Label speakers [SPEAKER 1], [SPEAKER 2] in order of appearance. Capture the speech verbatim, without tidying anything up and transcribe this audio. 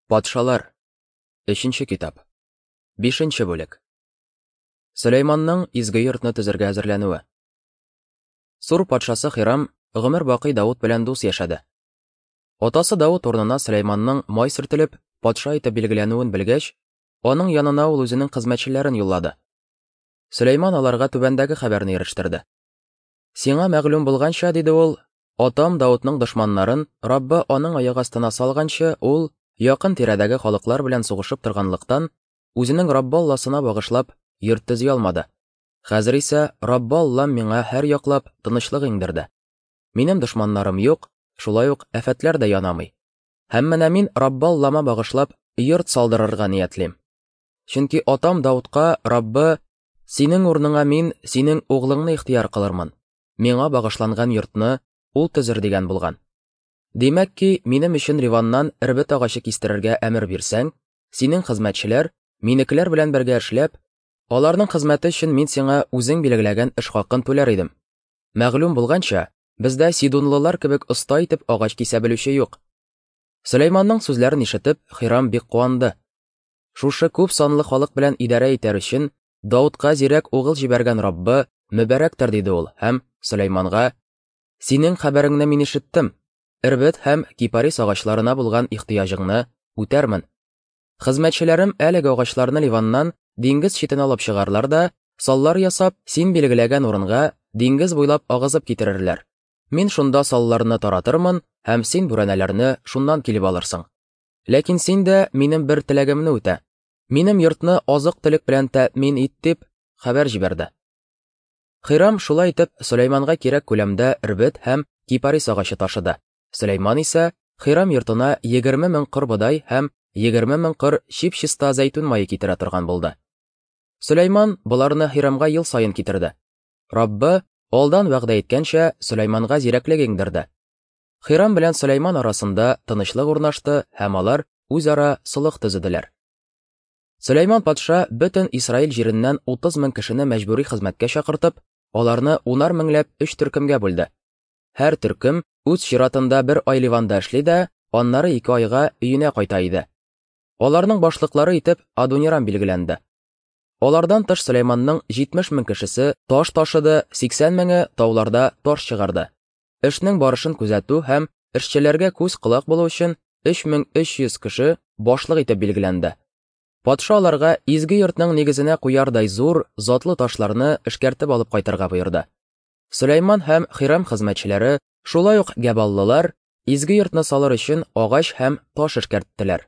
[SPEAKER 1] Патшалар. Өченче китап. Бишенче бүлек. Сөләйманның изге йортны төзергә әзерләнүе. Сур патшасы Хирам гомер бакый Давыт белән дус яшәде. Атасы Давыт урынына Сөләйманның май сөртелеп, патша итеп билгеләнүен белгәч, аның янына ул үзенең хезмәтчеләрен юллады. Сөләйман аларга түбәндәге хәбәрне ирештерде. Сиңа мәгълүм булганча, диде ул, атам Давытның дошманнарын Раббы аның аяк астына салганчы, ул якын тирәдәге халыклар белән сугышып торганлыктан, үзенең Раббы Алласына багышлап йорт төзи алмады. Хәзер исә Раббы Аллам миңа һәр яклап тынычлык иңдерде. Минем дошманнарым юк, шулай ук афәтләр дә янамый. Һәм менә мин Раббы Аллама багышлап йорт салдырырга ниятлим. Чөнки атам Давытка Раббы, синең урыныңа мин синең углыңны ихтыяр кылырмын. Миңа багышланган йортны ул төзер дигән булган. Димәк ки, минем өчен Ливаннан эрбет агачы кистерергә әмер бирсәң, синең хезмәтчеләр минекеләр белән бергә эшләп, аларның хезмәте өчен мин сиңа үзең билгеләгән эш хакын түләр идем. Мәгълүм булганча, бездә сидунлылар кебек оста итеп агач кисә белүче юк. Сөләйманның сүзләрен ишетеп, Хирам бик куанды. Шушы күп санлы халык белән идарә итәр өчен Давытка зирәк угыл җибәргән Раббы мөбарәктер, диде ул һәм Сөләйманга: Синең хәбәреңне мин ишеттем. Эрбет һәм кипарис агачларына булган ихтыяҗыңны үтәрмен. Хезмәтчеләрем әлеге агачларны Ливаннан диңгез читенә алып чыгарлар да, саллар ясап, син билгеләгән урынга диңгез буйлап агызып китерерләр. Мин шунда салларны таратырмын һәм син бүрәнәләрне шуннан килеп алырсың. Ләкин син дә минем бер теләгемне үтә. Минем йортны азык-төлек белән тәэмин ит, дип хәбәр җибәрде. Хирам шулай итеп Сөләйманга кирәк күләмдә эрбет һәм кипарис агачы ташыды. Сөләйман исә Хирам йортына егерме мең кыр бодай һәм егерме мең кыр чип-чиста зәйтүн мае китерә торган булды. Сөләйман боларны Хирамга ел саен китерде. Раббы алдан вәгъдә иткәнчә Сөләйманга зирәклек иңдерде. Хирам белән Сөләйман арасында тынычлык урнашты һәм алар үзара солых төзеделәр. Сөләйман патша бөтен Исраил җиреннән утыз мең кешене мәҗбүри хезмәткә чакыртып, аларны унар меңләп өч төркемгә бүлде. Һәр төркем үз чиратында бер ай Ливанда эшли дә, аннары ике айга өенә кайта иде. Аларның башлыклары итеп Адунирам билгеләнде. Алардан тыш Сөләйманның җитмеш мең кешесе таш ташыды, сиксән меңе тауларда таш чыгарды. Эшнең барышын күзәтү һәм эшчеләргә күз-колак булу өчен өч мең өч йөз кеше башлык итеп билгеләнде. Патша аларга изге йортның нигезенә куярдай зур, затлы ташларны эшкәртеп алып кайтырга боерды. Сөләйман һәм Хирам хезмәтчеләре, шулай ук гәбаллылар, изге йортны салыр өчен агач һәм таш эшкәрттеләр.